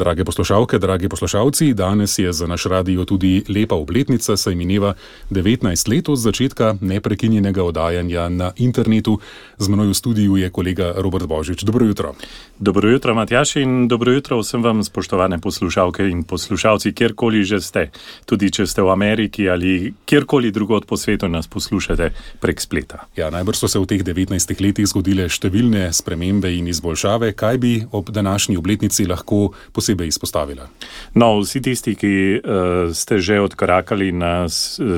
Drage poslušalke, dragi poslušalci, danes je za naš radio tudi lepa obletnica, saj mineva 19 let od začetka neprekinjenega oddajanja na internetu. Z menoj v studiu je kolega Robert Božič. Dobro jutro. Dobro jutro, Matjaž, in dobro jutro vsem vam, spoštovane poslušalke in poslušalci, kjerkoli že ste. Tudi če ste v Ameriki ali kjerkoli drugod po svetu nas poslušate prek spleta. Ja, najbrž so se v teh 19 letih zgodile številne spremembe in izboljšave. Kaj bi ob današnji obletnici lahko posebej izpostavila? No, vsi tisti, ki ste že odkorakali na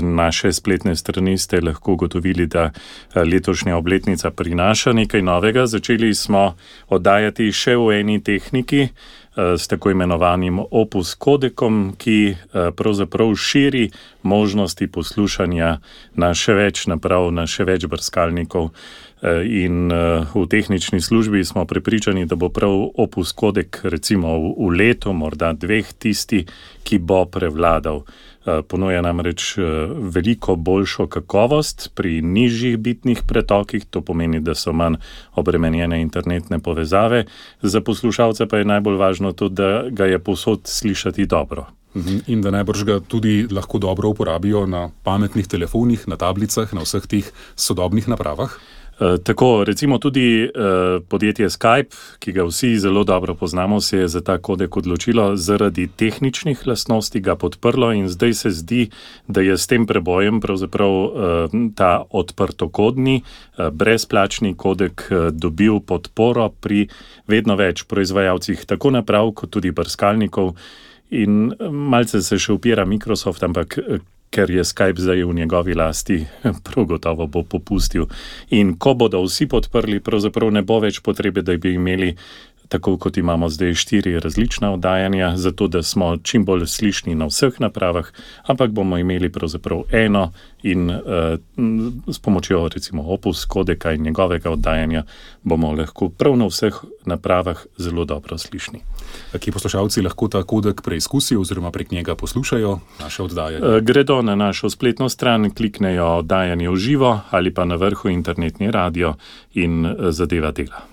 naše spletne strani, ste lahko ugotovili, da letošnja obletnica prinaša nekaj novega. Začeli smo oddajati še v eni tehniki, s tako imenovanim Opus kodekom, ki pravzaprav širi možnosti poslušanja na še več naprav, na še več brskalnikov. In v tehnični službi smo prepričani, da bo prav Opus kodek recimo v letu, morda dveh, tisti, ki bo prevladal. Ponuja namreč veliko boljšo kakovost pri nižjih bitnih pretokih, to pomeni, da so manj obremenjene internetne povezave. Za poslušalca pa je najbolj važno to, da ga je povsod slišati dobro. In da najbrž ga tudi lahko dobro uporabijo na pametnih telefonih, na tablicah, na vseh teh sodobnih napravah. Tako, recimo tudi podjetje Skype, ki ga vsi zelo dobro poznamo, se je za ta kodek odločilo zaradi tehničnih lastnosti, ga podprlo in zdaj se zdi, da je s tem prebojem pravzaprav ta odprtokodni, brezplačni kodek dobil podporo pri vedno več proizvajalcih, tako naprav kot tudi brskalnikov. In malce se še upira Microsoft, ampak ker je Skype zdaj v njegovi lasti, prav gotovo bo popustil. In ko bodo vsi podprli, pravzaprav ne bo več potrebe, da bi imeli, tako kot imamo zdaj 4 različna oddajanja, zato da smo čim bolj slišni na vseh napravah, ampak bomo imeli pravzaprav eno in s pomočjo recimo Opus kodeka in njegovega oddajanja bomo lahko prav na vseh napravah zelo dobro slišni. Kje poslušalci lahko ta kodek preizkusijo oziroma prek njega poslušajo naše oddajanje? Gredo na našo spletno stran, kliknejo oddajanje v živo ali pa na vrhu internetni radio in zadeva dela.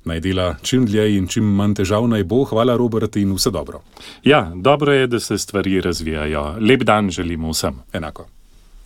Naj dela čim dlje in čim manj težav naj bo. Hvala, Robert, in vse dobro. Ja, dobro je, da se stvari razvijajo. Lep dan želimo vsem. Enako.